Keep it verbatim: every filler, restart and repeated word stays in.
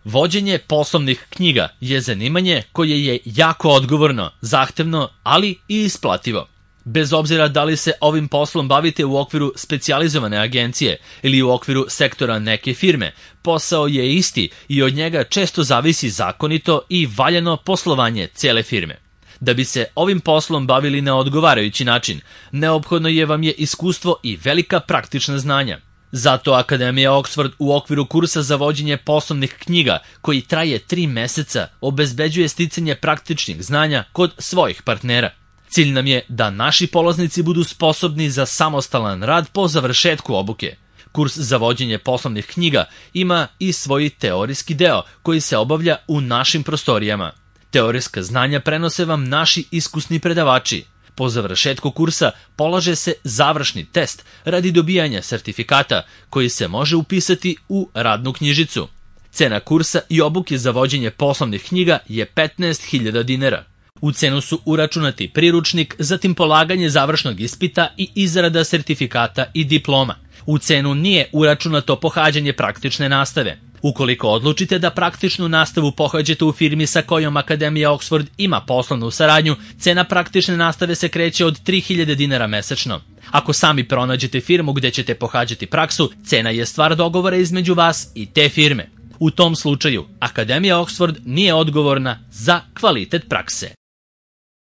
Vođenje poslovnih knjiga je zanimanje koje je jako odgovorno, zahtevno, ali i isplativo. Bez obzira da li se ovim poslom bavite u okviru specijalizovane agencije ili u okviru sektora neke firme, posao je isti i od njega često zavisi zakonito i valjano poslovanje cele firme. Da bi se ovim poslom bavili na odgovarajući način, neophodno je vam je iskustvo i velika praktična znanja. Zato Akademija Oxford u okviru kursa za vođenje poslovnih knjiga, koji traje tri meseca, obezbeđuje sticanje praktičnih znanja kod svojih partnera. Cilj nam je da naši polaznici budu sposobni za samostalan rad po završetku obuke. Kurs za vođenje poslovnih knjiga ima i svoj teorijski deo koji se obavlja u našim prostorijama. Teorijska znanja prenose vam naši iskusni predavači. Po završetku kursa polaže se završni test radi dobijanja sertifikata koji se može upisati u radnu knjižicu. Cena kursa i obuke za vođenje poslovnih knjiga je petnaest hiljada dinara. U cenu su uračunati priručnik, zatim polaganje završnog ispita i izrada sertifikata i diploma. U cenu nije uračunato pohađanje praktične nastave. Ukoliko odlučite da praktičnu nastavu pohađate u firmi sa kojom Akademija Oxford ima poslovnu saradnju, cena praktične nastave se kreće od tri hiljade dinara mesečno. Ako sami pronađete firmu gde ćete pohađati praksu, cena je stvar dogovora između vas i te firme. U tom slučaju, Akademija Oxford nije odgovorna za kvalitet prakse.